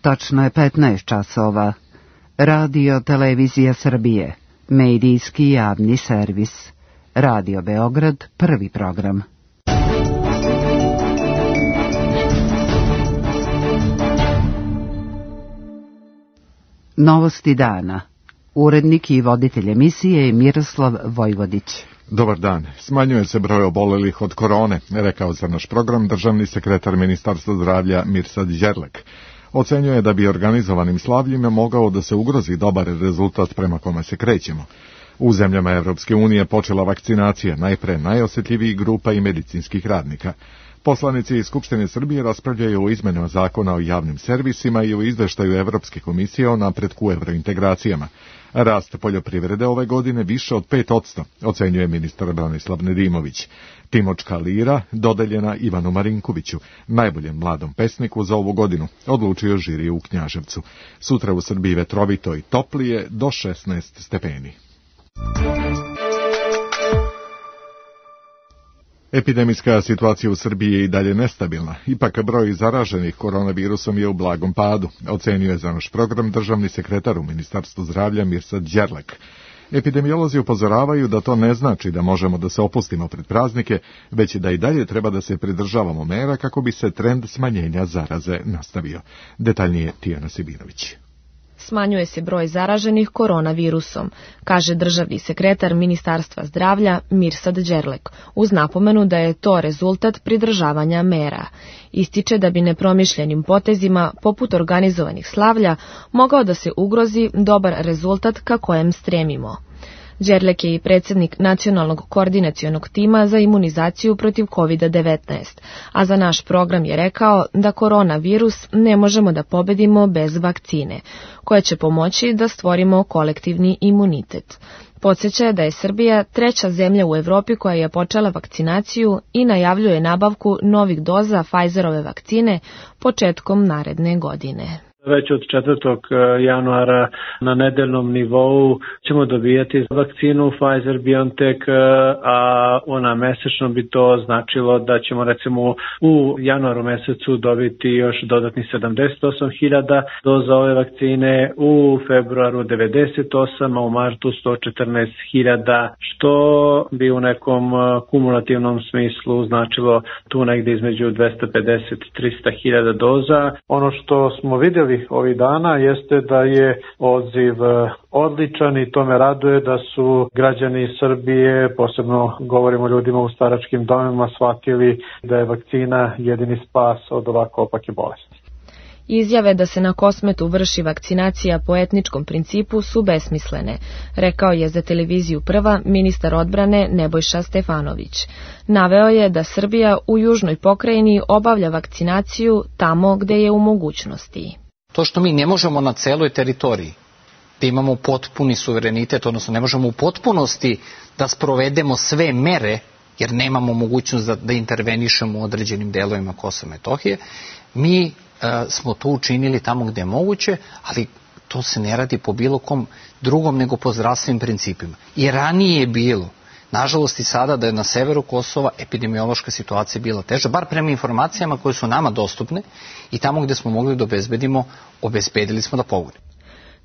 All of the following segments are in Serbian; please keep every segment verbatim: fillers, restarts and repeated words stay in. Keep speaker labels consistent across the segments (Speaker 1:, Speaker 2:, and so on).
Speaker 1: Tačno je petnaest časova. Radio Televizija Srbije, medijski javni servis. Radio Beograd, prvi program. Novosti dana. Urednik i voditelj emisije je Miroslav Vojvodić.
Speaker 2: Dobar dan. Smanjuje se broj obolelih od korone, rekao za naš program državni sekretar Ministarstva zdravlja Mirsad Đerlek. Ocenjuje da bi organizovanim slavljima mogao da se ugrozi dobar rezultat prema kome se krećemo. U zemljama Evropske unije počela vakcinacija najpre najosjetljivijih grupa i medicinskih radnika. Poslanici iz Skupštine Srbije raspravljaju o izmenama zakona o javnim servisima i o izveštaju Evropske komisije o napretku evrointegracijama. Rast poljoprivrede ove godine više od pet posto, ocenjuje ministar Branislav Nedimović. Timočka lira dodeljena Ivanu Marinkoviću, najboljem mladom pesniku za ovu godinu, odlučio žiri u Knjaževcu. Sutra u Srbiji vetrovito i toplije do šesnaest stepeni. Epidemijska situacija u Srbiji je i dalje nestabilna. Ipak broj zaraženih koronavirusom je u blagom padu, ocenio je za naš program državni sekretar u Ministarstvu zdravlja Mirsad Đerlek. Epidemiolozi upozoravaju da to ne znači da možemo da se opustimo pred praznike, već da i dalje treba da se pridržavamo mera kako bi se trend smanjenja zaraze nastavio. Detaljnije Tijana Sibinović.
Speaker 3: Smanjuje se broj zaraženih koronavirusom, kaže državni sekretar Ministarstva zdravlja Mirsad Đerlek, uz napomenu da je to rezultat pridržavanja mera. Ističe da bi nepromišljenim potezima, poput organizovanih slavlja, mogao da se ugrozi dobar rezultat ka kojem stremimo. Đerlek je i predsjednik Nacionalnog koordinacionog tima za imunizaciju protiv kovid devetnaest, a za naš program je rekao da koronavirus ne možemo da pobedimo bez vakcine, koja će pomoći da stvorimo kolektivni imunitet. Podsjeća da je Srbija treća zemlja u Evropi koja je počela vakcinaciju i najavljuje nabavku novih doza Pfizerove vakcine početkom naredne godine.
Speaker 4: Već od četvrtog januara na nedeljnom nivou ćemo dobijati vakcinu Pfizer-BioNTech, a ona mesečno bi to značilo da ćemo recimo u januaru mesecu dobiti još dodatnih sedamdeset osam hiljada doza ove vakcine, u februaru devedeset osam, a u martu sto četrnaest hiljada, što bi u nekom kumulativnom smislu značilo tu negde između dvesta pedeset i trista hiljada doza. Ono što smo vidjeli ovih dana jeste da je odziv odličan i to me raduje da su građani Srbije, posebno govorimo o ljudima u staračkim domovima, shvatili da je vakcina jedini spas od ovako opake bolesti.
Speaker 3: Izjave da se na Kosmetu vrši vakcinacija po etničkom principu su besmislene, rekao je za televiziju Prva ministar odbrane Nebojša Stefanović. Naveo je da Srbija u južnoj pokrajini obavlja vakcinaciju tamo gde je u mogućnosti.
Speaker 5: To što mi ne možemo na celoj teritoriji da imamo potpuni suverenitet, odnosno ne možemo u potpunosti da sprovedemo sve mere, jer nemamo mogućnost da, da intervenišemo u određenim delovima Kosova i Metohije, mi e, smo to učinili tamo gde je moguće, ali to se ne radi po bilo kom drugom nego po zdravstvenim principima. I ranije je bilo, nažalost i sada, da je na severu Kosova epidemiološka situacija bila teža, bar prema informacijama koje su nama dostupne, i tamo gde smo mogli da obezbedimo, obezbedili smo da pogodimo.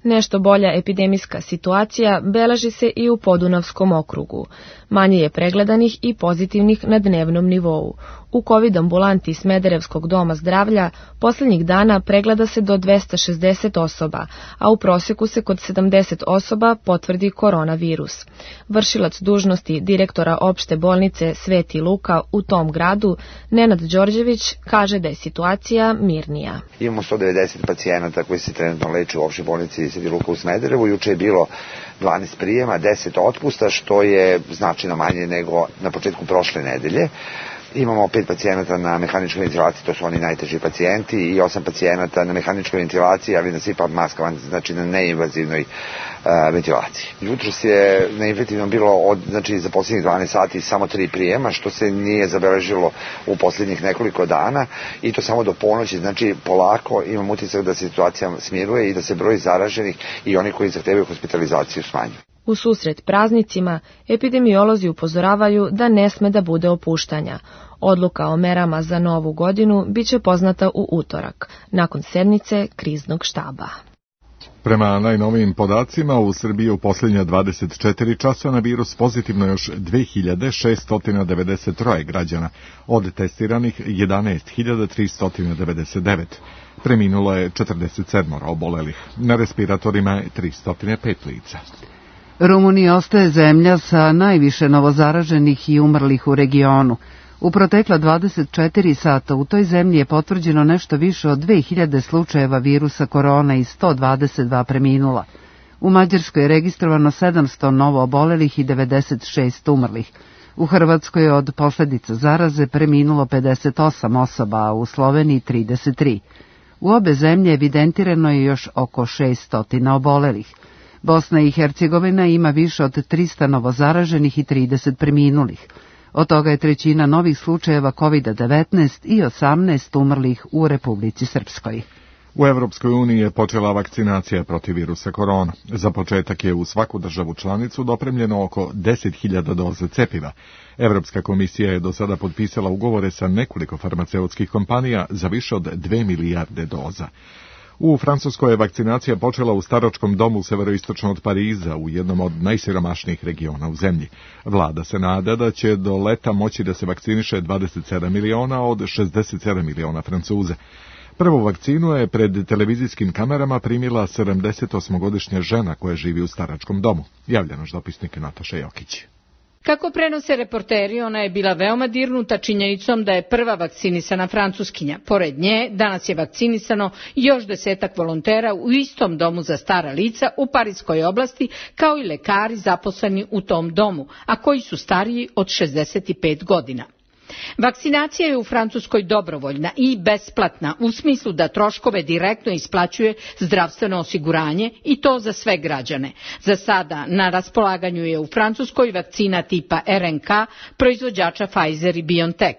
Speaker 3: Nešto bolja epidemijska situacija beleži se i u Podunavskom okrugu. Manje je pregledanih i pozitivnih na dnevnom nivou. U COVID ambulanti Smederevskog doma zdravlja posljednjih dana pregleda se do dvesta šezdeset osoba, a u prosjeku se kod sedamdeset osoba potvrdi koronavirus. Vršilac dužnosti direktora opšte bolnice Sveti Luka u tom gradu, Nenad Đorđević, kaže da je situacija mirnija.
Speaker 6: Imamo sto devedeset pacijenata koji se trenutno leče u opštoj bolnici Sveti Luka u Smederevu. Juče je bilo dvanaest prijema, deset otpusta, što je značajno manje nego na početku prošle nedelje. Imamo pet pacijenata na mehaničkoj ventilaciji, to su oni najteži pacijenti, i osam pacijenata na mehaničkoj ventilaciji, ali na sipa maskama, znači na neinvazivnoj uh, ventilaciji. Jutros je na infektivnom bilo od, znači, za posljednjih dvanaest sati samo tri prijema, što se nije zabeležilo u posljednjih nekoliko dana, i to samo do ponoći. Znači polako imam utisak da se situacija smiruje i da se broj zaraženih i oni koji zahtevaju hospitalizaciju smanjuje.
Speaker 3: U susret praznicima, epidemiolozi upozoravaju da ne sme da bude opuštanja. Odluka o merama za novu godinu biće poznata u utorak, nakon sednice kriznog štaba.
Speaker 2: Prema najnovijim podacima, u Srbiji u posljednja dvadeset četiri časa na virus pozitivno još dve hiljade šesto devedeset tri građana, od testiranih jedanaest hiljada tristo devedeset devet. Preminulo je četrdeset sedam obolelih, na respiratorima je tristo pet lica.
Speaker 1: Rumunija ostaje zemlja sa najviše novozaraženih i umrlih u regionu. U protekla dvadeset četiri sata u toj zemlji je potvrđeno nešto više od dve hiljade slučajeva virusa korona i sto dvadeset dva preminula. U Mađarskoj je registrovano sedamsto novo obolelih i devedeset šest umrlih. U Hrvatskoj je od posljedica zaraze preminulo pedeset osam osoba, a u Sloveniji trideset tri. U obe zemlje evidentirano je još oko šesto obolelih. Bosna i Hercegovina ima više od trista novozaraženih i trideset preminulih. Od toga je trećina novih slučajeva kovid devetnaest i osamnaest umrlih u Republici Srpskoj.
Speaker 2: U Evropskoj uniji je počela vakcinacija protiv virusa korona. Za početak je u svaku državu članicu dopremljeno oko deset hiljada doza cepiva. Evropska komisija je do sada potpisala ugovore sa nekoliko farmaceutskih kompanija za više od dve milijarde doza. U Francuskoj je vakcinacija počela u staračkom domu severoistočno od Pariza, u jednom od najsiromašnijih regiona u zemlji. Vlada se nada da će do leta moći da se vakciniše dvadeset sedam miliona od šezdeset sedam miliona Francuza. Prvu vakcinu je pred televizijskim kamerama primila sedamdesetosmogodišnja žena koja živi u staračkom domu. Javlja naš dopisnik Nataša Jokić.
Speaker 7: Kako prenose reporteri, ona je bila veoma dirnuta činjenicom da je prva vakcinisana Francuskinja. Pored nje, danas je vakcinisano još desetak volontera u istom domu za stara lica u Pariskoj oblasti, kao i lekari zaposleni u tom domu, a koji su stariji od šezdeset pet godina. Vakcinacija je u Francuskoj dobrovoljna i besplatna u smislu da troškove direktno isplaćuje zdravstveno osiguranje i to za sve građane. Za sada na raspolaganju je u Francuskoj vakcina tipa R N K proizvođača Pfizer i BioNTech.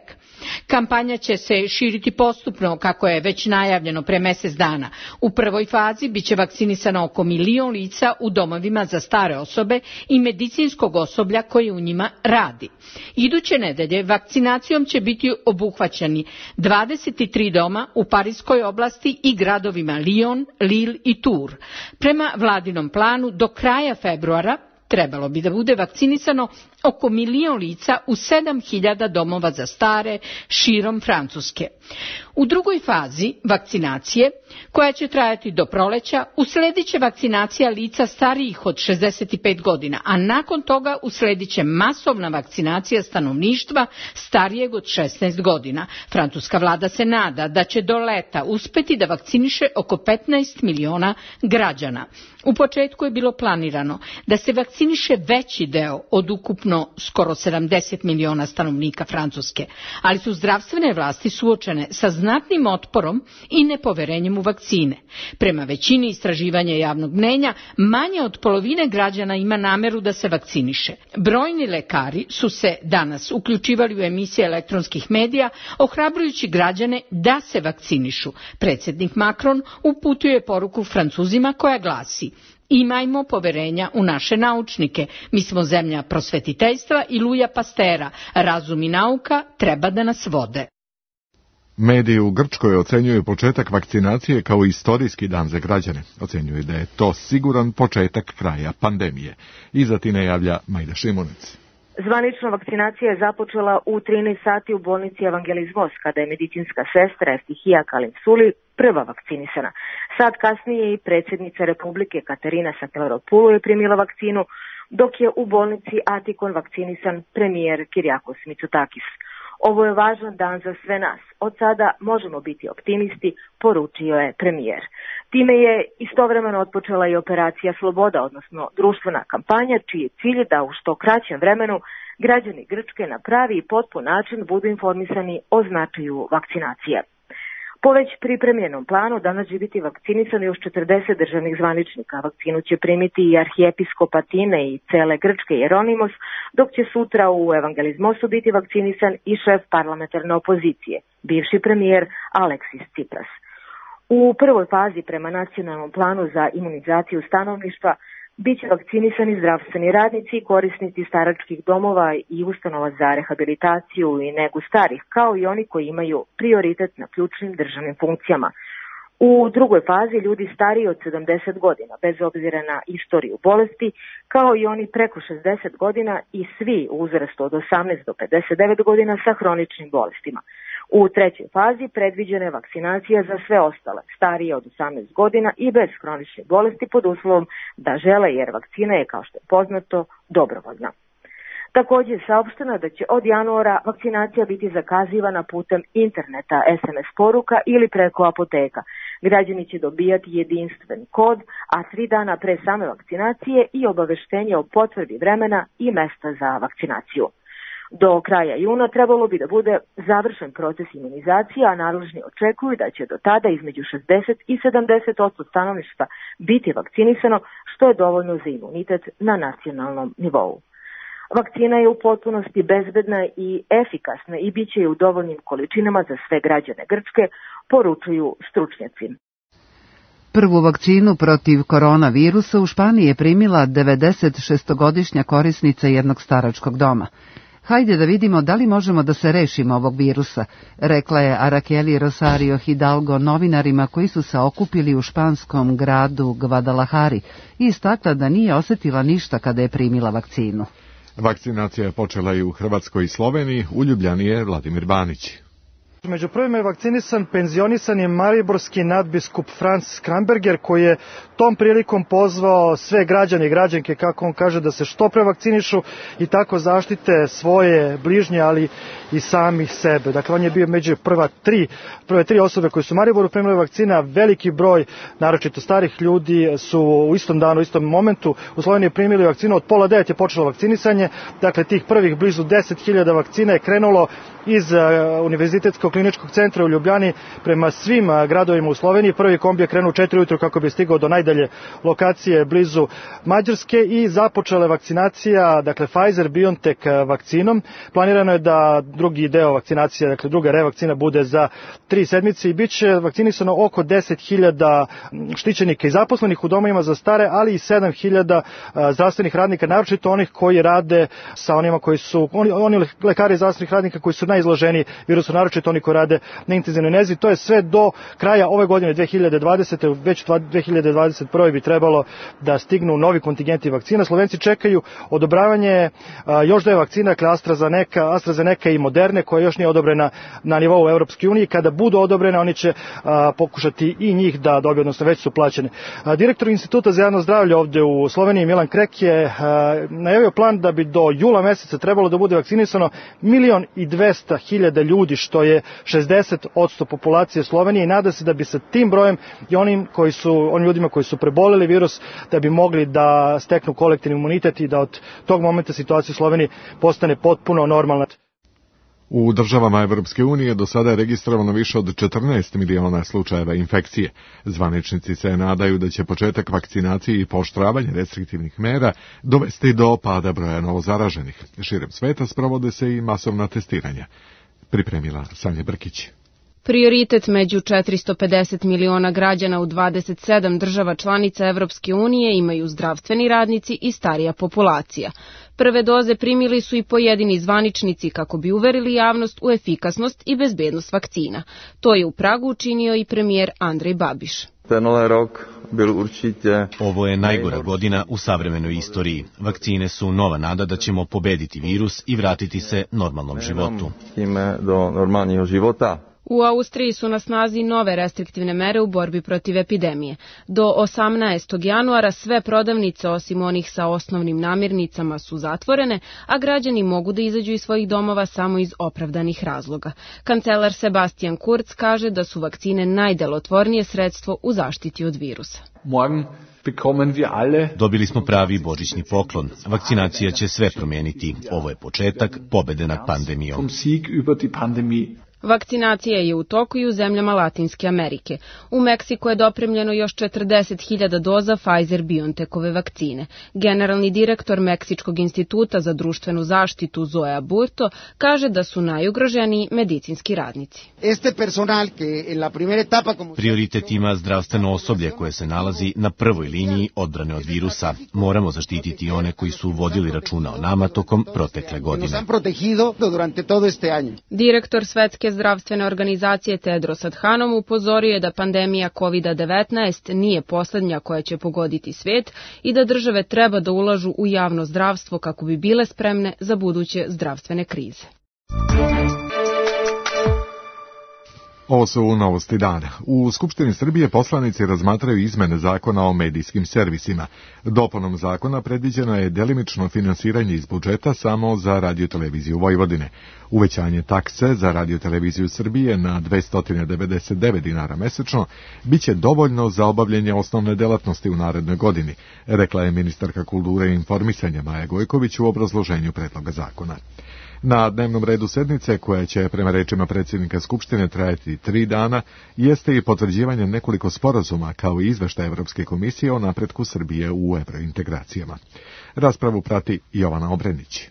Speaker 7: Kampanja će se širiti postupno, kako je već najavljeno pre mjesec dana. U prvoj fazi biće vakcinisano oko milion lica u domovima za stare osobe i medicinskog osoblja koje u njima radi. Iduće nedelje vakcinacijom će biti obuhvaćeni dvadeset tri doma u Pariskoj oblasti i gradovima Lyon, Lille i Tours. Prema vladinom planu do kraja februara trebalo bi da bude vakcinisano oko milion lica u sedam hiljada domova za stare širom Francuske. U drugoj fazi vakcinacije, koja će trajati do proleća, usledit će vakcinacija lica starijih od šezdeset pet godina, a nakon toga usledit će masovna vakcinacija stanovništva starijeg od šesnaest godina. Francuska vlada se nada da će do leta uspeti da vakciniše oko petnaest miliona građana. U početku je bilo planirano da se vakciniše veći deo od ukupno skoro sedamdeset miliona stanovnika Francuske, ali su zdravstvene vlasti suočene sa znatnim otporom i nepoverenjem u vakcine. Prema većini istraživanja javnog mnenja, manje od polovine građana ima nameru da se vakciniše. Brojni lekari su se danas uključivali u emisije elektronskih medija, ohrabrujući građane da se vakcinišu. Predsjednik Macron uputio je poruku Francuzima koja glasi: imajmo poverenja u naše naučnike. Mi smo zemlja prosvetiteljstva i Luja Pastera. Razum i nauka treba da nas vode.
Speaker 2: Mediji u Grčkoj ocenjuju početak vakcinacije kao istorijski dan za građane. Ocenjuju da je to siguran početak kraja pandemije. Iza Tine javlja Majda Šimunec.
Speaker 8: Zvanično vakcinacija je započela u trinaest sati u bolnici Evangelizmos, kada je medicinska sestra Eftihija Kalimsuli prva vakcinisana. Sad kasnije i predsjednica Republike Katerina Sakellaropoulou je primila vakcinu, dok je u bolnici Atikon vakcinisan premijer Kyriakos Mitsotakis. Ovo je važan dan za sve nas. Od sada možemo biti optimisti, poručio je premijer. Time je istovremeno otpočela i operacija Sloboda, odnosno društvena kampanja, čiji je cilj da u što kraćem vremenu građani Grčke na pravi i potpun način budu informisani o značaju vakcinacije. Po već pripremljenom planu danas će biti vakcinisano još četrdeset državnih zvaničnika. Vakcinu će primiti i arhijepiskop Atine i cele Grčke Jeronimos, dok će sutra u Evangelizmosu biti vakcinisan i šef parlamentarne opozicije, bivši premijer Aleksis Tsipras. U prvoj fazi prema nacionalnom planu za imunizaciju stanovništva Biće vakcinisani zdravstveni radnici i korisnici staračkih domova i ustanova za rehabilitaciju i negu starih, kao i oni koji imaju prioritet na ključnim državnim funkcijama. U drugoj fazi ljudi stariji od sedamdeset godina, bez obzira na istoriju bolesti, kao i oni preko šezdeset godina i svi u uzrastu od osamnaest do pedeset devet godina sa hroničnim bolestima. U trećoj fazi predviđena je vakcinacija za sve ostale, starije od osamnaest godina i bez hroničnih bolesti pod uslovom da žele, jer vakcina je, kao što je poznato, dobrovoljna. Također je saopšteno da će od januara vakcinacija biti zakazivana putem interneta, es em es poruka ili preko apoteka. Građani će dobijati jedinstven kod, a tri dana pre same vakcinacije i obaveštenje o potvrdi vremena i mesta za vakcinaciju. Do kraja juna trebalo bi da bude završen proces imunizacije, a nadležni očekuju da će do tada između šezdeset i sedamdeset posto stanovništva biti vakcinisano, što je dovoljno za imunitet na nacionalnom nivou. Vakcina je u potpunosti bezbedna i efikasna i bit će u dovoljnim količinama za sve građane Grčke, poručuju stručnjaci.
Speaker 1: Prvu vakcinu protiv koronavirusa u Španiji je primila devedeset šestogodišnja korisnica jednog staračkog doma. Hajde da vidimo da li možemo da se rešimo ovog virusa, rekla je Araceli Rosario Hidalgo novinarima koji su se okupili u španskom gradu Guadalajari i istakla da nije osetila ništa kada je primila vakcinu.
Speaker 2: Vakcinacija je počela i u Hrvatskoj i Sloveniji, u Ljubljani je Vladimir Banić.
Speaker 9: Među prvima je vakcinisan penzionisan je mariborski nadbiskup Franz Kramberger, koji je tom prilikom pozvao sve građane i građanke, kako on kaže, da se što pre vakcinišu i tako zaštite svoje bližnje, ali i samih sebe. Dakle, on je bio među prva tri, prve tri osobe koje su u Mariboru primile vakcina. Veliki broj, naročito starih ljudi, su u istom danu, u istom momentu u Sloveniji primili vakcinu. Od pola devet je počelo vakcinisanje. Dakle, tih prvih blizu deset hiljada vakcina je krenulo iz uh, Univerzitetskog kliničkog centra u Ljubljani prema svim uh, gradovima u Sloveniji. Prvi kombi je krenuo u četiri ujutru kako bi stigao do najdalje lokacije blizu Mađarske i započela vakcinacija, dakle Pfizer-BioNTech vakcinom. Planirano je da drugi deo vakcinacije, dakle druga revakcina, bude za tri sedmice i bit će vakcinisano oko deset hiljada štićenika i zaposlenih u domovima za stare, ali i sedam hiljada zdravstvenih radnika, naročito onih koji rade sa onima koji su, oni, oni lekari zdravstvenih radnika koji su najizloženiji virusu, naročito oni koji rade na intenzivnoj nezi. To je sve do kraja ove godine dve hiljade dvadesete. Već dve hiljade dvadeset prve bi trebalo da stignu novi kontingenti vakcina. Slovenci čekaju odobravanje a, još dve vakcine, dakle AstraZeneca, AstraZeneca i Moderne, koja još nije odobrena na nivou Evropske unije. Kada budu odobrene, oni će a, pokušati i njih da dobiju, odnosno već su plaćene. A, direktor Instituta za javno zdravlje ovde u Sloveniji, Milan Krek, je a, najavio plan da bi do jula meseca trebalo da bude vakcinisano milion i dvesta hiljada ljudi, što je šezdeset posto populacije Slovenije, i nada se da bi sa tim brojem i onim koji su, onim ljudima koji su preboleli virus, da bi mogli da steknu kolektivni imunitet i da od tog momenta situacija u Sloveniji postane potpuno normalna.
Speaker 2: U državama Evropske unije do sada je registrovano više od četrnaest miliona slučajeva infekcije. Zvaničnici se nadaju da će početak vakcinacije i pooštravanje restriktivnih mera dovesti do pada broja novozaraženih. Širem sveta sprovode se i masovna testiranja. Pripremila Sanja Brkić.
Speaker 10: Prioritet među četiristo pedeset miliona građana u dvadeset sedam država članica Evropske unije imaju zdravstveni radnici i starija populacija. Prve doze primili su i pojedini zvaničnici kako bi uverili javnost u efikasnost i bezbednost vakcina. To je u Pragu učinio i premijer Andrej Babiš.
Speaker 11: Ovo je najgora godina u savremenoj istoriji. Vakcine su nova nada da ćemo pobediti virus i vratiti se normalnom životu.
Speaker 10: U Austriji su na snazi nove restriktivne mere u borbi protiv epidemije. Do osamnaestog januara sve prodavnice osim onih sa osnovnim namirnicama su zatvorene, a građani mogu da izađu iz svojih domova samo iz opravdanih razloga. Kancelar Sebastian Kurz kaže da su vakcine najdelotvornije sredstvo u zaštiti od virusa.
Speaker 11: Dobili smo pravi božićni poklon. Vakcinacija će sve promijeniti. Ovo je početak pobede nad pandemijom.
Speaker 10: Vakcinacija je u toku i u zemljama Latinske Amerike. U Meksiku je dopremljeno još četrdeset hiljada doza Pfizer-BioNTechove vakcine. Generalni direktor Meksičkog instituta za društvenu zaštitu Zoe Aburto kaže da su najugroženiji medicinski radnici.
Speaker 11: Prioritet ima zdravstveno osoblje koje se nalazi na prvoj liniji odbrane od virusa. Moramo zaštititi one koji su vodili računa o nama tokom protekle godine.
Speaker 10: Direktor Svetske zdravstvene organizacije Tedros Adhanom upozorio je da pandemija kovid devetnaest nije poslednja koja će pogoditi svet i da države treba da ulažu u javno zdravstvo kako bi bile spremne za buduće zdravstvene krize.
Speaker 2: Ovo su novosti dana. U Skupštini Srbije poslanici razmatraju izmene zakona o medijskim servisima. Dopunom zakona predviđeno je delimično finansiranje iz budžeta samo za radioteleviziju Vojvodine. Uvećanje takse za radioteleviziju Srbije na dvesta devedeset devet dinara mesečno biće dovoljno za obavljanje osnovne delatnosti u narednoj godini, rekla je ministarka kulture i informisanja Maja Gojković u obrazloženju predloga zakona. Na dnevnom redu sednice, koja će prema rečima predsjednika Skupštine trajati tri dana, jeste i potvrđivanje nekoliko sporazuma kao i izveštaj Evropske komisije o napretku Srbije u evrointegracijama. Raspravu prati Jovana Obrenić.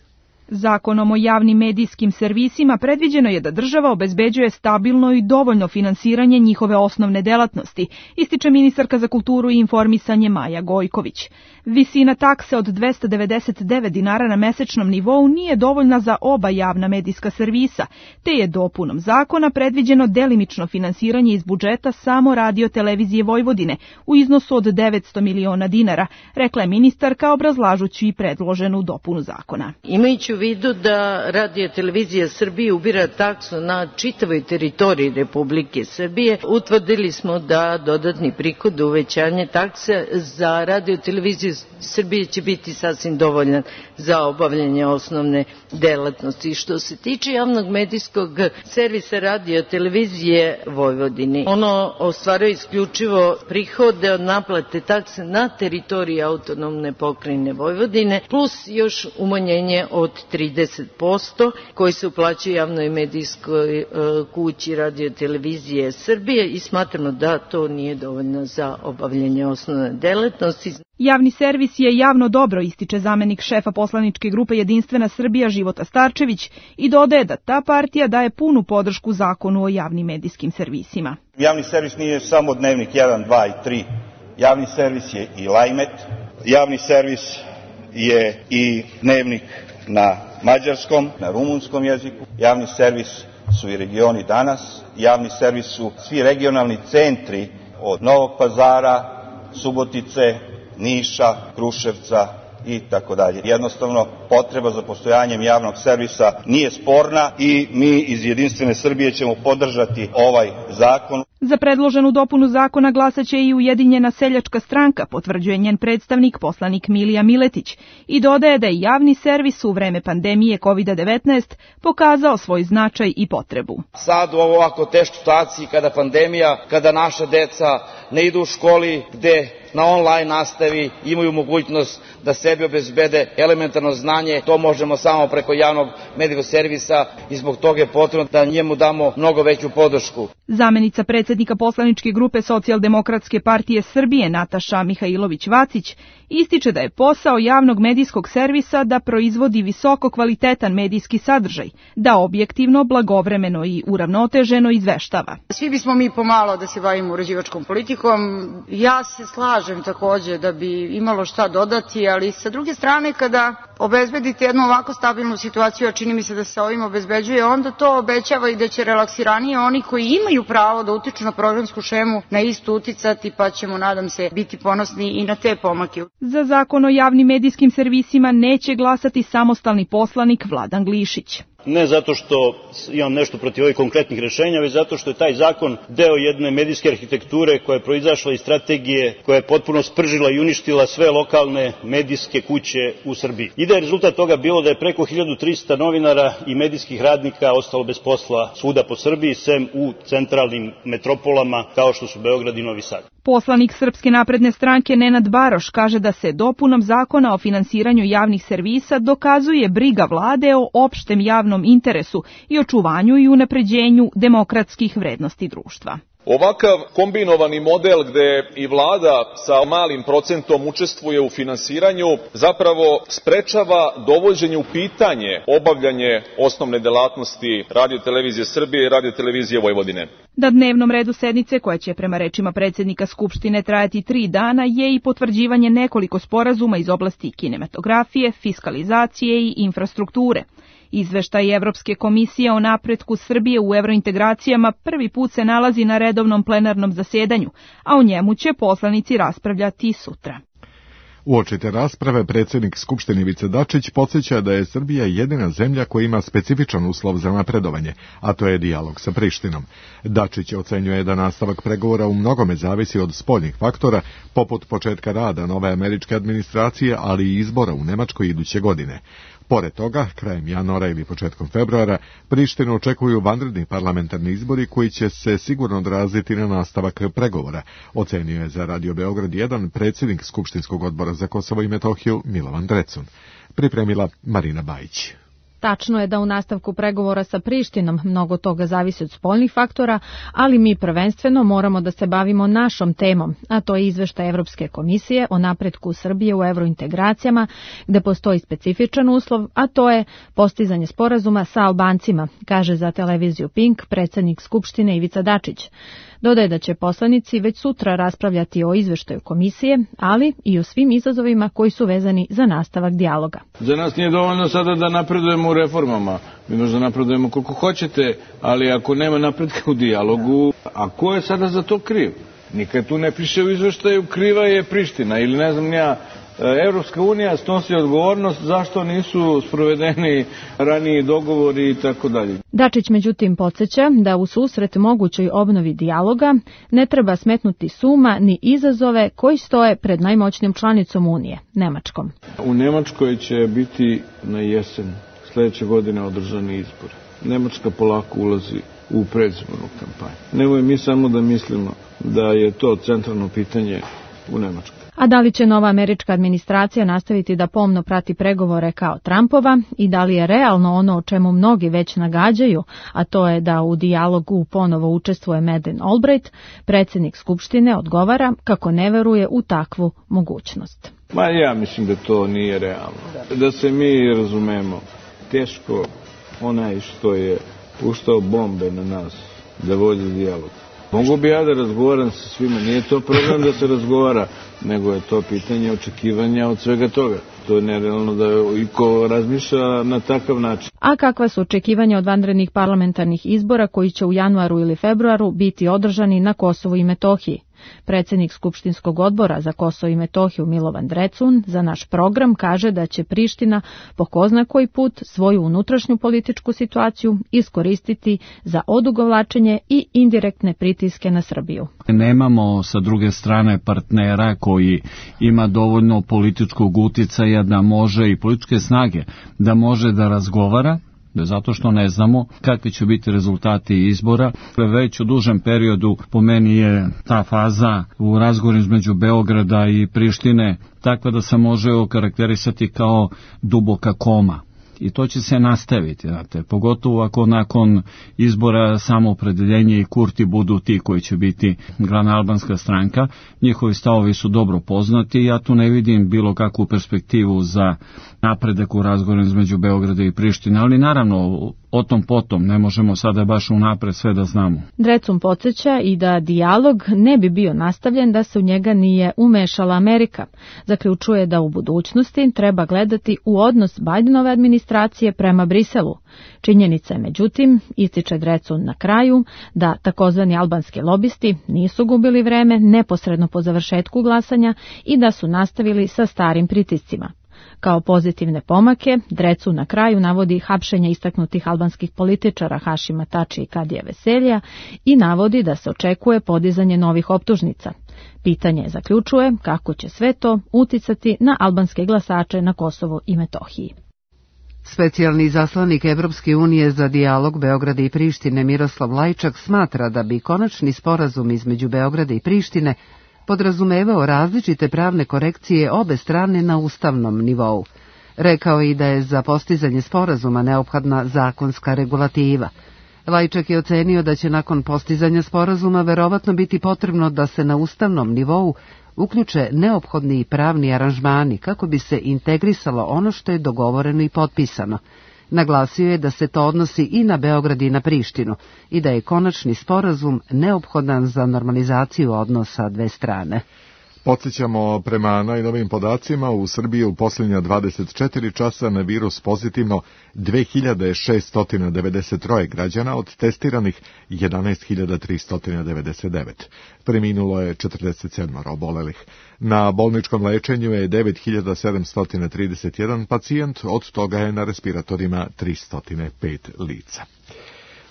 Speaker 12: Zakonom o javnim medijskim servisima predviđeno je da država obezbeđuje stabilno i dovoljno finansiranje njihove osnovne delatnosti, ističe ministarka za kulturu i informisanje Maja Gojković. Visina takse od dvesta devedeset devet dinara na mesečnom nivou nije dovoljna za oba javna medijska servisa, te je dopunom zakona predviđeno delimično finansiranje iz budžeta samo Radio-televizije Vojvodine u iznosu od devetsto miliona dinara, rekla je ministarka obrazlažući i predloženu dopunu zakona.
Speaker 13: Imajući u vidu da Radio-televizija Srbije ubira taksu na čitavoj teritoriji Republike Srbije, utvrdili smo da dodatni prihod uvećanje takse za Radio-televiziju Srbije će biti sasvim dovoljan za obavljanje osnovne delatnosti. Što se tiče javnog medijskog servisa Radio-televizije Vojvodine, ono ostvaruje isključivo prihode od naplate takse na teritoriji autonomne pokrajine Vojvodine, plus još umanjenje od trideset posto koji se uplaćuje javnoj medijskoj kući Radio-televizije Srbije i smatramo da to nije dovoljno za obavljanje osnovne delatnosti.
Speaker 12: Javni servis je javno dobro, ističe zamenik šefa poslaničke grupe Jedinstvena Srbija Života Starčević i dodaje da ta partija daje punu podršku zakonu o javnim medijskim servisima.
Speaker 14: Javni servis nije samo Dnevnik jedan, dva i tri. Javni servis je i Lajmet. Javni servis je i Dnevnik na mađarskom, na rumunskom jeziku. Javni servis su i Regioni danas. Javni servis su svi regionalni centri od Novog Pazara, Subotice, Niša, Kruševca i tako dalje. Jednostavno, potreba za postojanjem javnog servisa nije sporna i mi iz Jedinstvene Srbije ćemo podržati ovaj zakon.
Speaker 12: Za predloženu dopunu zakona glasaće i Ujedinjena seljačka stranka, potvrđuje njen predstavnik, poslanik Milija Miletić, i dodaje da je javni servis u vreme pandemije kovid devetnaest pokazao svoj značaj i potrebu.
Speaker 15: Sad u ovako teškoj situaciji, kada pandemija, kada naša deca ne idu u školi, gde na online nastavi imaju mogućnost da sebi obezbede elementarno znanje, to možemo samo preko javnog medijskog servisa i zbog toga je potrebno da njemu damo mnogo veću podršku.
Speaker 12: Zamenica predsjednika poslaničke grupe Socijaldemokratske partije Srbije Nataša Mihajlović-Vacić ističe da je posao javnog medijskog servisa da proizvodi visoko kvalitetan medijski sadržaj, da objektivno, blagovremeno i uravnoteženo izveštava.
Speaker 16: Svi bismo mi pomalo da se bavimo uređivačkom politikom. Ja se slažem takođe da bi imalo šta dodati, ali sa druge strane kada obezbedite jednu ovako stabilnu situaciju, a čini mi se da se ovim obezbeđuje, onda to obećava i da će relaksiranije oni koji imaju pravo da utiču na programsku šemu na istu uticati, pa ćemo, nadam se, biti ponosni i na te pomake.
Speaker 12: Za zakon o javnim medijskim servisima neće glasati samostalni poslanik Vladan Glišić.
Speaker 17: Ne zato što imam nešto protiv ovih konkretnih rešenja, već zato što je taj zakon deo jedne medijske arhitekture koja je proizašla iz strategije, koja je potpuno spržila i uništila sve lokalne medijske kuće u Srbiji. I da je rezultat toga bilo da je preko hiljadu trista novinara i medijskih radnika ostalo bez posla svuda po Srbiji, sem u centralnim metropolama kao što su Beograd i Novi Sad.
Speaker 12: Poslanik Srpske napredne stranke Nenad Baroš kaže da se dopunom zakona o finansiranju javnih servisa dokazuje briga vlade o opštem javnom interesu i očuvanju i unapređenju demokratskih vrednosti društva.
Speaker 18: Ovakav kombinovani model gde i vlada sa malim procentom učestvuje u finansiranju zapravo sprečava dovođenje u pitanje obavljanje osnovne delatnosti Radio-televizije Srbije i Radio-televizije Vojvodine.
Speaker 12: Na dnevnom redu sednice, koja će prema rečima predsjednika Skupštine trajati tri dana, je i potvrđivanje nekoliko sporazuma iz oblasti kinematografije, fiskalizacije i infrastrukture. Izveštaj Evropske komisije o napretku Srbije u evrointegracijama prvi put se nalazi na redovnom plenarnom zasedanju, a o njemu će poslanici raspravljati sutra.
Speaker 2: Uoči te rasprave predsjednik Skupštine Ivica Dačić podsjeća da je Srbija jedina zemlja koja ima specifičan uslov za napredovanje, a to je dijalog sa Prištinom. Dačić ocenjuje da nastavak pregovora u mnogome zavisi od spoljnih faktora, poput početka rada nove američke administracije, ali i izbora u Nemačkoj iduće godine. Pored toga, krajem januara ili početkom februara, Prištinu očekuju vanredni parlamentarni izbori koji će se sigurno odraziti na nastavak pregovora, ocenio je za Radio Beograd jedan predsjednik Skupštinskog odbora za Kosovo i Metohiju Milovan Drecun. Pripremila Marina Bajić.
Speaker 3: Tačno je da u nastavku pregovora sa Prištinom mnogo toga zavisi od spoljnih faktora, ali mi prvenstveno moramo da se bavimo našom temom, a to je izveštaj Evropske komisije o napretku Srbije u evrointegracijama, gde postoji specifičan uslov, a to je postizanje sporazuma sa Albancima, kaže za televiziju Pink predsjednik Skupštine Ivica Dačić. Dodaje da će poslanici već sutra raspravljati o izveštaju komisije, ali i o svim izazovima koji su vezani za nastavak dijaloga.
Speaker 19: Za nas nije dovoljno sada da napredujemo u reformama. Mi možda napredujemo koliko hoćete, ali ako nema napretka u dijalogu, a ko je sada za to kriv? Nikad tu ne piše u izveštaju kriva je Priština ili ne znam ja. Evropska unija snosi odgovornost zašto nisu sprovedeni raniji dogovori i tako dalje.
Speaker 3: Dačić međutim podsjeća da u susret mogućoj obnovi dijaloga ne treba smetnuti suma ni izazove koji stoje pred najmoćnijom članicom Unije, Nemačkom.
Speaker 19: U Nemačkoj će biti na jesen sljedeće godine održani izbori. Nemačka polako ulazi u predizbornu kampanju. Nemoj mi samo da mislimo da je to centralno pitanje u Nemačkoj.
Speaker 3: A da li će nova američka administracija nastaviti da pomno prati pregovore kao Trumpova i da li je realno ono o čemu mnogi već nagađaju, a to je da u dijalogu ponovo učestvuje Madeleine Albright, predsjednik Skupštine odgovara kako ne veruje u takvu mogućnost.
Speaker 19: Ma ja mislim da to nije realno. Da se mi razumemo, teško onaj što je puštao bombe na nas da vodi dijalog. Mogu bi ja da razgovaram sa svima, nije to problem da se razgovara, nego je to pitanje očekivanja od svega toga. To je nerealno da iko razmišlja na takav način.
Speaker 3: A kakva su očekivanja od vanrednih parlamentarnih izbora koji će u januaru ili februaru biti održani na Kosovu i Metohiji? Predsjednik Skupštinskog odbora za Kosovo i Metohiju Milovan Drecun za naš program kaže da će Priština po ko zna koji put svoju unutrašnju političku situaciju iskoristiti za odugovlačenje i indirektne pritiske na Srbiju.
Speaker 20: Nemamo sa druge strane partnera koji ima dovoljno političkog uticaja da može i političke snage da može da razgovara, zato što ne znamo kakvi će biti rezultati izbora. Već u dužem periodu po meni je ta faza u razgovoru između Beograda i Prištine takva da se može okarakterisati kao duboka koma. I to će se nastaviti, znate, pogotovo ako nakon izbora Samoopredeljenje i Kurti budu ti koji će biti glavna albanska stranka. Njihovi stavovi su dobro poznati i ja tu ne vidim bilo kakvu perspektivu za napredak u razgovoru između Beograda i Prištine, ali naravno o tom potom ne možemo sada baš unapred sve da znamo.
Speaker 3: Drecun podsjeća i da dijalog ne bi bio nastavljen da se u njega nije umešala Amerika. Zaključuje da u budućnosti treba gledati u odnos Bidenove administracije prema Briselu. Činjenica je međutim, ističe Drecun na kraju, da takozvani albanski lobisti nisu gubili vreme neposredno po završetku glasanja i da su nastavili sa starim pritiscima. Kao pozitivne pomake, Drecun na kraju navodi hapšenje istaknutih albanskih političara Hašima Tači i Kadija Veselija i navodi da se očekuje podizanje novih optužnica. Pitanje zaključuje kako će sve to uticati na albanske glasače na Kosovu i Metohiji.
Speaker 1: Specijalni izaslanik Evropske unije za dijalog Beograda i Prištine Miroslav Lajčak smatra da bi konačni sporazum između Beograda i Prištine podrazumevao različite pravne korekcije obe strane na ustavnom nivou. Rekao je i da je za postizanje sporazuma neophodna zakonska regulativa. Lajčak je ocenio da će nakon postizanja sporazuma verovatno biti potrebno da se na ustavnom nivou uključe neophodni pravni aranžmani kako bi se integrisalo ono što je dogovoreno i potpisano. Naglasio je da se to odnosi i na Beograd i na Prištinu i da je konačni sporazum neophodan za normalizaciju odnosa dve strane.
Speaker 2: Podsjećamo, prema najnovijim podacima, u Srbiji u posljednja dvadeset četiri časa na virus pozitivno dve hiljade šesto devedeset tri građana, od testiranih jedanaest hiljada tristo devedeset devet. Preminulo je četrdeset sedam obolelih. Na bolničkom lečenju je devet hiljada sedamsto trideset jedan pacijent, od toga je na respiratorima tristo pet lica.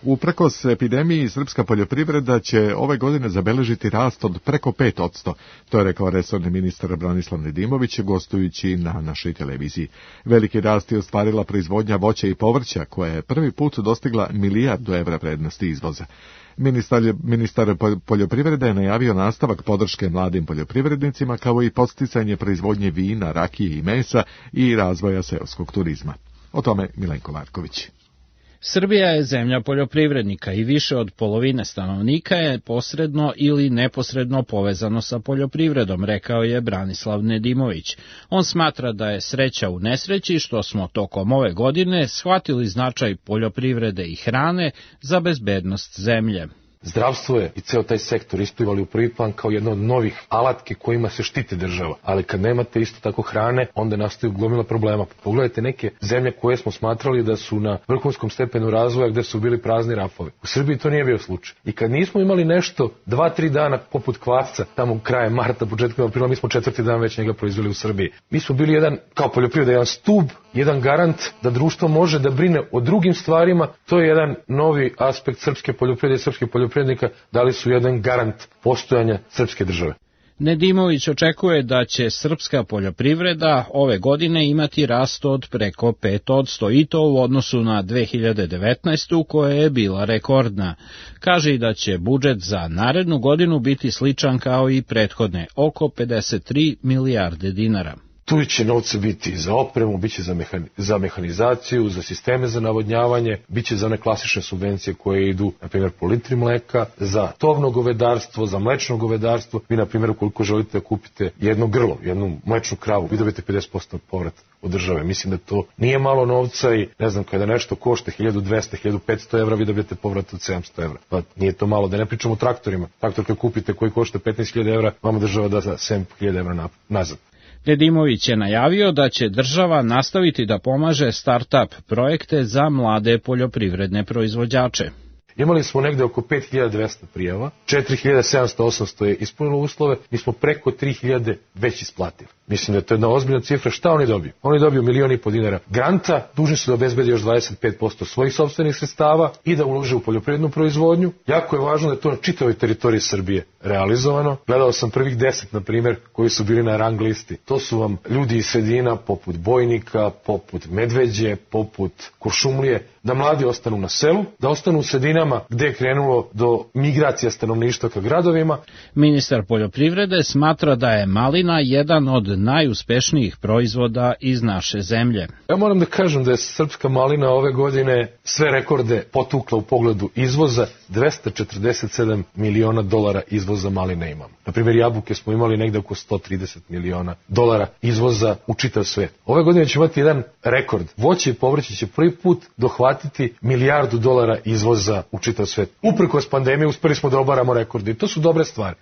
Speaker 2: Uprkos epidemiji, srpska poljoprivreda će ove godine zabeležiti rast od preko pet posto, to je rekao resorni ministar Branislav Nedimović gostujući na našoj televiziji. Veliki rast je ostvarila proizvodnja voća i povrća, koja je prvi put dostigla milijardu evra vrednosti izvoza. Ministar, ministar poljoprivrede je najavio nastavak podrške mladim poljoprivrednicima, kao i podsticanje proizvodnje vina, rakije i mesa i razvoja seoskog turizma. O tome Milenko Marković.
Speaker 21: Srbija je zemlja poljoprivrednika i više od polovine stanovnika je posredno ili neposredno povezano sa poljoprivredom, rekao je Branislav Nedimović. On smatra da je sreća u nesreći što smo tokom ove godine shvatili značaj poljoprivrede i hrane za bezbednost zemlje.
Speaker 22: Zdravstvo je i ceo taj sektor isplivali u prvi plan kao jedno od novih alatke kojima se štiti država, ali kad nemate isto tako hrane, onda nastaju gomila problema. Pogledajte neke zemlje koje smo smatrali da su na vrhunskom stepenu razvoja gde su bili prazni rafovi. U Srbiji to nije bio slučaj. I kad nismo imali nešto dva, tri dana poput kvasca, tamo krajem marta, početkom aprila, mi smo četvrti dan već njega proizveli u Srbiji. Mi smo bili jedan, kao poljoprivreda, jedan stub, jedan garant da društvo može da brine o drugim stvarima. To je jedan novi aspekt srpske poljoprivrede i srpske poljoprivrede, dali su jedan garant postojanja srpske države.
Speaker 21: Nedimović očekuje da će srpska poljoprivreda ove godine imati rast od preko pet posto i to u odnosu na dve hiljade devetnaestu. koja je bila rekordna. Kaže i da će budžet za narednu godinu biti sličan kao i prethodne, oko pedeset tri milijarde dinara.
Speaker 22: Tu će novca biti za opremu, bit će za, mehan, za mehanizaciju, za sisteme za navodnjavanje, bit će za one klasične subvencije koje idu, na primjer, po litri mleka, za tovno govedarstvo, za mlečno govedarstvo. Vi, na primjer, ukoliko želite da kupite jedno grlo, jednu mlečnu kravu, vi dobijete pedeset posto povrat od države. Mislim da to nije malo novca i, ne znam, kada nešto košta hiljadu dvesta, hiljadu petsto evra, vi dobijete povrat od sedamsto evra. Pa nije to malo, da ne pričamo o traktorima. Traktor kad kupite koji košta petnaest hiljada evra, vama država da za sedam hiljada evra nazad.
Speaker 21: Nedimović je najavio da će država nastaviti da pomaže start-up projekte za mlade poljoprivredne proizvođače.
Speaker 22: Imali smo negde oko pet hiljada dvesta prijava, četiri hiljade sedamsto osamsto je ispunilo uslove, mi smo preko tri hiljade već isplatili. Mislim da je to jedna ozbiljna cifra. Šta oni dobiju? Oni dobiju milion i po dinara granta, dužni su da obezbede još dvadeset pet posto svojih sopstvenih sredstava i da ulože u poljoprivrednu proizvodnju. Jako je važno da je to na čitavoj teritoriji Srbije realizovano. Gledao sam prvih deset, na primjer, koji su bili na rang listi. To su vam ljudi iz sredina poput Bojnika, poput Medveđe, poput Kuršumlije, da mladi ostanu na selu, da ostanu u sredinama gde je krenulo do migracija stanovništva ka gradovima.
Speaker 21: Ministar poljoprivrede smatra da je malina jedan od najuspešnijih proizvoda iz naše zemlje.
Speaker 22: Ja moram da kažem da je srpska malina ove godine sve rekorde potukla u pogledu izvoza. dvesta četrdeset sedam miliona dolara izvoza maline imamo. Na primjer, jabuke smo imali negde oko sto trideset miliona dolara izvoza u čitav svet. Ove godine ćemo imati jedan rekord. Voće i povrće će prvi put dohvatiti milijardu dolara izvoza u čitav svet. Uprkos pandemije uspeli smo da obaramo rekorde i to su dobre stvari.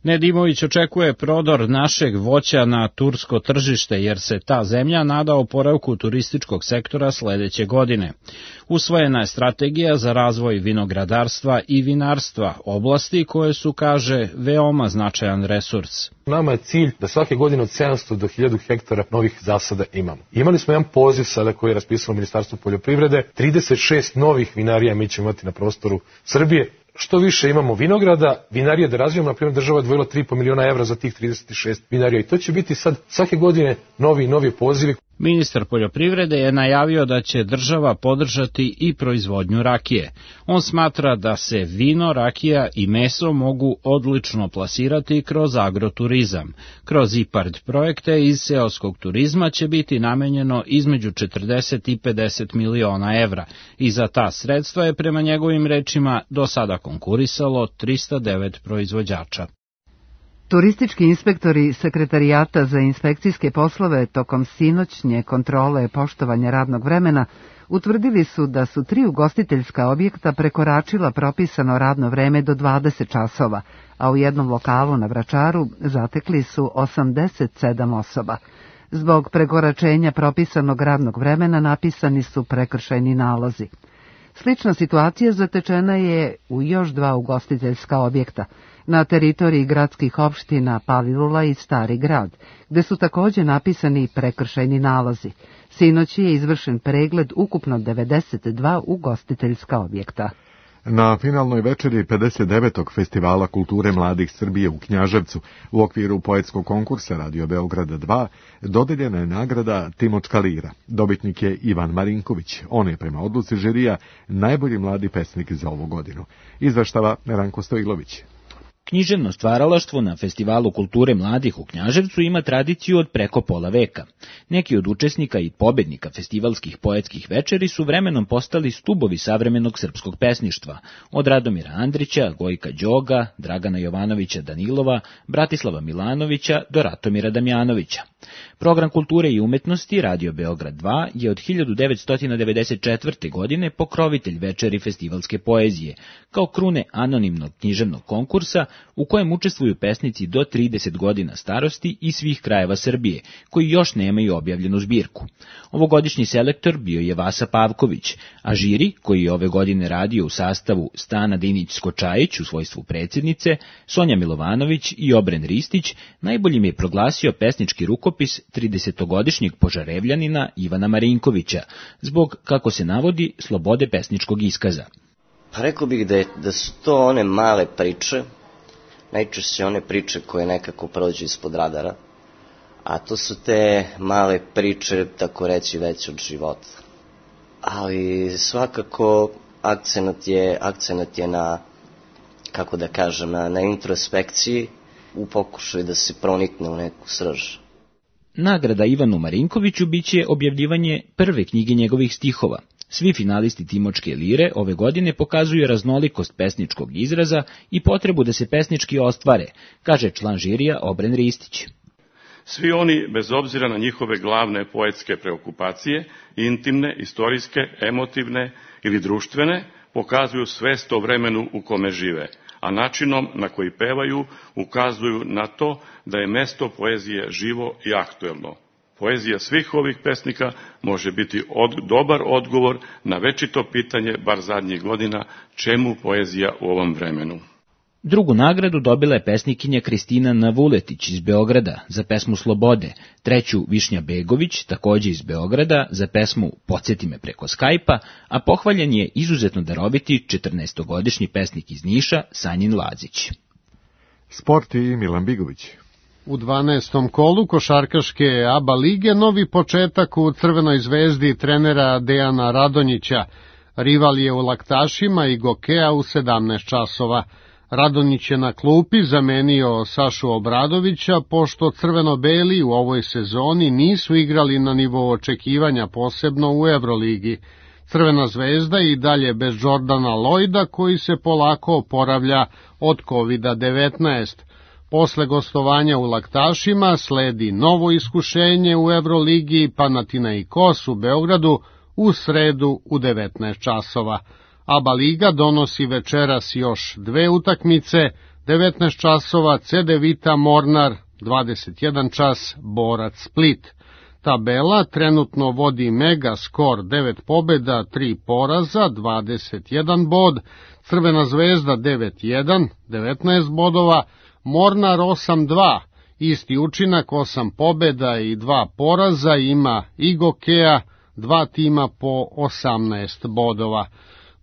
Speaker 21: Nedimović očekuje prodor našeg voća na tursko tržište, jer se ta zemlja nada oporavku turističkog sektora sledeće godine. Usvojena je strategija za razvoj vinogradarstva i vinarstva, oblasti koje su, kaže, veoma značajan resurs.
Speaker 22: Nama je cilj da svake godine od sedamsto do hiljadu hektara novih zasada imamo. Imali smo jedan poziv sada koji je raspisalo Ministarstvo poljoprivrede, trideset šest novih vinarija mi ćemo imati na prostoru Srbije. Što više imamo vinograda, vinarije da razvijamo, na primjer država je odvojila tri i po miliona evra za tih trideset šest vinarija i to će biti sad svake godine novi i novi pozivi.
Speaker 21: Ministar poljoprivrede je najavio da će država podržati i proizvodnju rakije. On smatra da se vino, rakija i meso mogu odlično plasirati kroz agroturizam. Kroz IPARD projekte iz seoskog turizma će biti namenjeno između četrdeset i pedeset miliona evra i za ta sredstva je prema njegovim rečima do sada konkurisalo trista devet proizvođača.
Speaker 1: Turistički inspektori Sekretarijata za inspekcijske poslove tokom sinoćnje kontrole poštovanja radnog vremena utvrdili su da su tri ugostiteljska objekta prekoračila propisano radno vreme do dvadeset časova, a u jednom lokalu na Vračaru zatekli su osamdeset sedam osoba. Zbog prekoračenja propisanog radnog vremena napisani su prekršajni nalozi. Slična situacija zatečena je u još dva ugostiteljska objekta na teritoriji gradskih opština Palilula i Stari grad, gde su takođe napisani prekršajni nalozi. Sinoć je izvršen pregled ukupno devedeset dva ugostiteljska objekta.
Speaker 2: Na finalnoj večeri pedeset devetog Festivala kulture mladih Srbije u Knjaževcu u okviru poetskog konkursa Radio Beograd dva dodeljena je nagrada Timočka lira. Dobitnik je Ivan Marinković. On je prema odluci žirija najbolji mladi pesnik za ovu godinu. Izveštava Ranko Stojilović.
Speaker 4: Književno stvaralaštvo na Festivalu kulture mladih u Knjaževcu ima tradiciju od preko pola veka. Neki od učesnika i pobednika festivalskih poetskih večeri su vremenom postali stubovi savremenog srpskog pesništva, od Radomira Andrića, Gojka Đoga, Dragana Jovanovića Danilova, Bratislava Milanovića do Ratomira Damjanovića. Program kulture i umetnosti Radio Beograd dva je od hiljadu devetsto devedeset četvrte. godine pokrovitelj večeri festivalske poezije, kao krune anonimnog književnog konkursa u kojem učestvuju pesnici do trideset godina starosti iz svih krajeva Srbije, koji još nemaju objavljenu zbirku. Ovogodišnji selektor bio je Vasa Pavković, a žiri, koji je ove godine radio u sastavu Stana Dinić-Skočajić u svojstvu predsjednice, Sonja Milovanović i Obren Ristić, najboljim je proglasio pesnički rukopis tridesetogodišnjeg Požarevljanina Ivana Marinkovića, zbog, kako se navodi, slobode pesničkog iskaza.
Speaker 5: Pa rekao bih da, je, da su to one male priče, najčešće one priče koje nekako prođu ispod radara, a to su te male priče, tako reći, već od života. Ali svakako akcenat je, akcenat je na, kako da kažem, na, na introspekciji, u pokušaju da se pronikne u neku srž.
Speaker 4: Nagrada Ivanu Marinkoviću biće objavljivanje prve knjige njegovih stihova. Svi finalisti Timočke lire ove godine pokazuju raznolikost pesničkog izraza i potrebu da se pesnički ostvare, kaže član žirija Obren Ristić.
Speaker 23: Svi oni, bez obzira na njihove glavne poetske preokupacije, intimne, istorijske, emotivne ili društvene, pokazuju svest o vremenu u kome žive, a načinom na koji pevaju ukazuju na to da je mesto poezije živo i aktuelno. Poezija svih ovih pesnika može biti od, dobar odgovor na večito pitanje, bar zadnjih godina, čemu poezija u ovom vremenu.
Speaker 4: Drugu nagradu dobila je pesnikinja Kristina Navuletić iz Beograda za pesmu Slobode, treću Višnja Begović, takođe iz Beograda, za pesmu Podsjeti me preko Skajpa, a pohvaljen je izuzetno daroviti četrnaestogodišnji pesnik iz Niša Sanjin Lazić.
Speaker 2: Sport i Milan Bigović.
Speaker 24: U dvanaestom kolu košarkaške ABA lige novi početak u Crvenoj zvezdi trenera Dejana Radonjića. Rival je u Laktašima i Gokea u sedamnaest časova. Radonjić je na klupi zamenio Sašu Obradovića, pošto crveno-beli u ovoj sezoni nisu igrali na nivou očekivanja, posebno u Evroligi. Crvena zvezda i dalje bez Jordana Lloyda, koji se polako oporavlja od kovid devetnaest. Posle gostovanja u Laktašima sledi novo iskušenje u Evroligi Panathinaikos u Beogradu u sredu u devetnaest časova. ABA liga donosi večeras još dve utakmice, devetnaest časova C D Vita Mornar, dvadeset jedan čas Borac Split. Tabela trenutno vodi Mega skor devet pobjeda, tri poraza, dvadeset jedan bod, Crvena zvezda devet jedan, devetnaest bodova, Mornar osam dva, isti učinak, osam pobjeda i dva poraza ima i Gokea, dva tima po osamnaest bodova.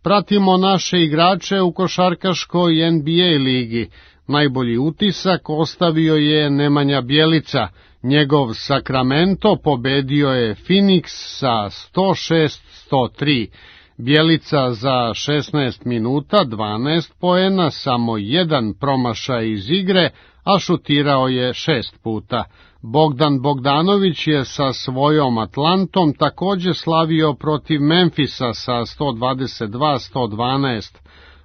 Speaker 24: Pratimo naše igrače u košarkaškoj N B A ligi. Najbolji utisak ostavio je Nemanja Bjelica. Njegov Sacramento pobedio je Phoenix sa sto šest sto tri. Bjelica za šesnaest minuta, dvanaest poena, samo jedan promašaj iz igre, a šutirao je šest puta. Bogdan Bogdanović je sa svojom Atlantom takođe slavio protiv Memfisa sa sto dvadeset dva sto dvanaest.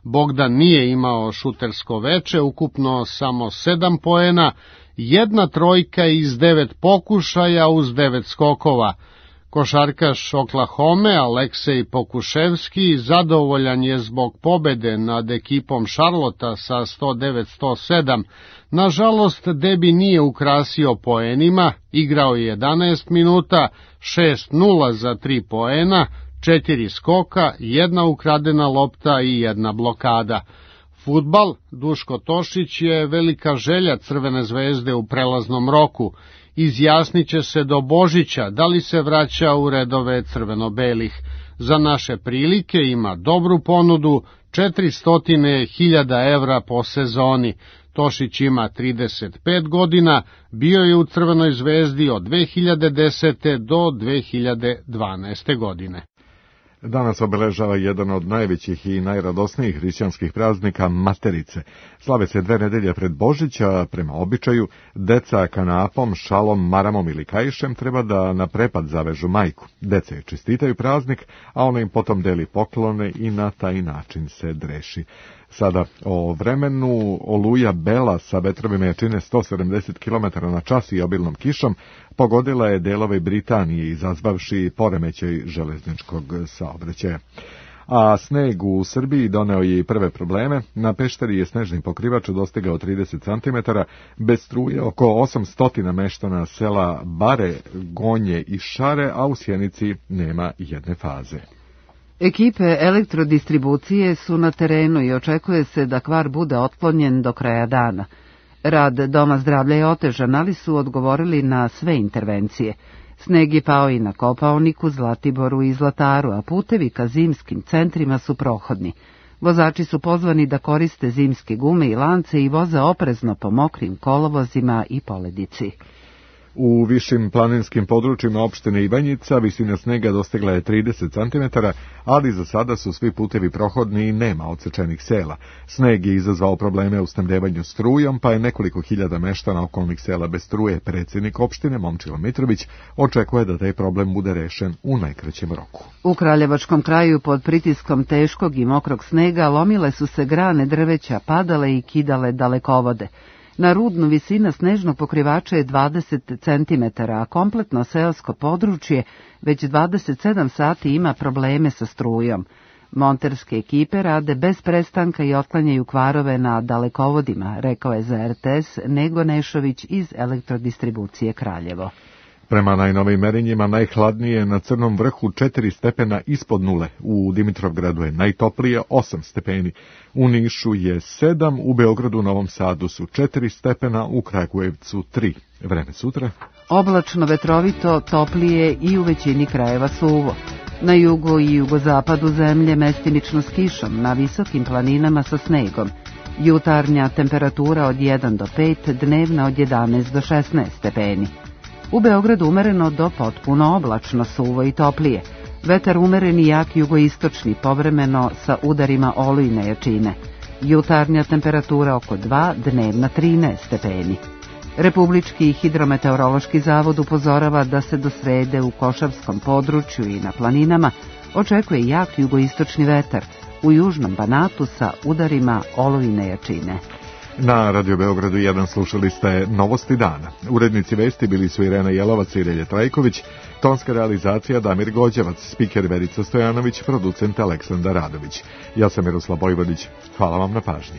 Speaker 24: Bogdan nije imao šutersko veče, ukupno samo sedam poena, jedna trojka iz devet pokušaja uz devet skokova. Košarkaš Oklahome Aleksej Pokuševski zadovoljan je zbog pobede nad ekipom Šarlota sa sto devet sto sedam. Nažalost, debi nije ukrasio poenima, igrao je jedanaest minuta, šest nula za tri poena, četiri skoka, jedna ukradena lopta i jedna blokada. Fudbal, Duško Tošić je velika želja Crvene zvezde u prelaznom roku. Izjasniće se do Božića da li se vraća u redove crveno-belih. Za naše prilike ima dobru ponudu, četiristo hiljada evra po sezoni. Tošić ima trideset pet godina, bio je u Crvenoj zvezdi od dve hiljade desete do dve hiljade dvanaeste godine.
Speaker 2: Danas obeležava jedan od najvećih i najradosnijih hrišćanskih praznika Materice. Slave se dve nedelje pred Božića, prema običaju, deca kanapom, šalom, maramom ili kaišem treba da na prepad zavežu majku. Deca je čestitaju praznik, a ona im potom deli poklone i na taj način se dreši. Sada o vremenu. Oluja Bela sa vetrovima jačine sto sedamdeset kilometara na čas i obilnom kišom pogodila je delove Britanije, izazvavši poremećaj železničkog saobraćaja. A sneg u Srbiji doneo je i prve probleme. Na Pešteri je snežni pokrivač dostigao trideset centimetara, bez struje oko osamsto meštana sela Bare, Gonje i Šare, a u Sjenici nema jedne faze.
Speaker 1: Ekipe elektrodistribucije su na terenu i očekuje se da kvar bude otklonjen do kraja dana. Rad Doma zdravlja je otežan, ali su odgovorili na sve intervencije. Sneg je pao i na Kopaoniku, Zlatiboru i Zlataru, a putevi ka zimskim centrima su prohodni. Vozači su pozvani da koriste zimske gume i lance i voze oprezno po mokrim kolovozima i poledici.
Speaker 2: U višim planinskim područjima opštine Ivanjica visina snega dostigla je trideset centimetara, ali za sada su svi putevi prohodni i nema odsečenih sela. Sneg je izazvao probleme u snabdevanju strujom, pa je nekoliko hiljada meštana okolnih sela bez struje. Predsjednik opštine Momčilo Mitrović očekuje da taj problem bude rešen u najkraćem roku.
Speaker 1: U Kraljevačkom kraju pod pritiskom teškog i mokrog snega lomile su se grane drveća, padale i kidale dalekovode. Na Rudnu visina snežnog pokrivača je dvadeset centimetara, a kompletno seosko područje već dvadeset sedam sati ima probleme sa strujom. Monterske ekipe rade bez prestanka i otklanjaju kvarove na dalekovodima, rekao je za er te es Nego Nešović iz Elektrodistribucije Kraljevo.
Speaker 2: Prema najnovijim merenjima najhladnije na Crnom vrhu četiri stepena ispod nule, u Dimitrovgradu je najtoplije osam stepeni, u Nišu je sedam, u Beogradu, Novom Sadu su četiri stepena, u Kragujevcu tri. Vreme sutra?
Speaker 1: Oblačno, vetrovito, toplije i u većini krajeva suvo. Na jugu i jugozapadu zemlje mestimično s kišom, na visokim planinama sa snegom. Jutarnja temperatura od jedan do pet, dnevna od jedanaest do šesnaest stepeni. U Beogradu umereno do potpuno oblačno, suvo i toplije. Vetar umeren i jak jugoistočni, povremeno sa udarima olujne jačine. Jutarnja temperatura oko dva, dnevna trinaest stepeni. Republički hidrometeorološki zavod upozorava da se do srede u Košavskom području i na planinama očekuje jak jugoistočni vetar, u južnom Banatu sa udarima olujne jačine.
Speaker 2: Na Radio Beogradu jedan slušali ste Novosti dana. Urednici vesti bili su Irena Jelovac i Relje Trajković, tonska realizacija Damir Gođevac, spiker Verica Stojanović, producent Aleksandar Radović. Ja sam Miroslav Bojvodić. Hvala vam na pažnji.